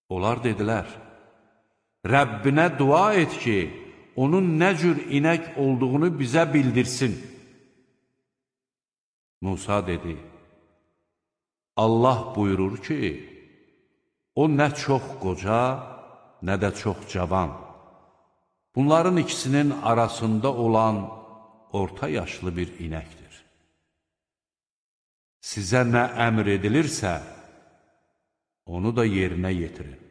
Onlar dedilər, Rəbbinə dua et ki, onun nə cür inək olduğunu bizə bildirsin. Musa dedi, Allah buyurur ki, o nə çox qoca, nə də çox cavan. Bunların ikisinin arasında olan orta yaşlı bir inəkdir. Sizə nə əmr edilirsə, onu da yerinə yetirin.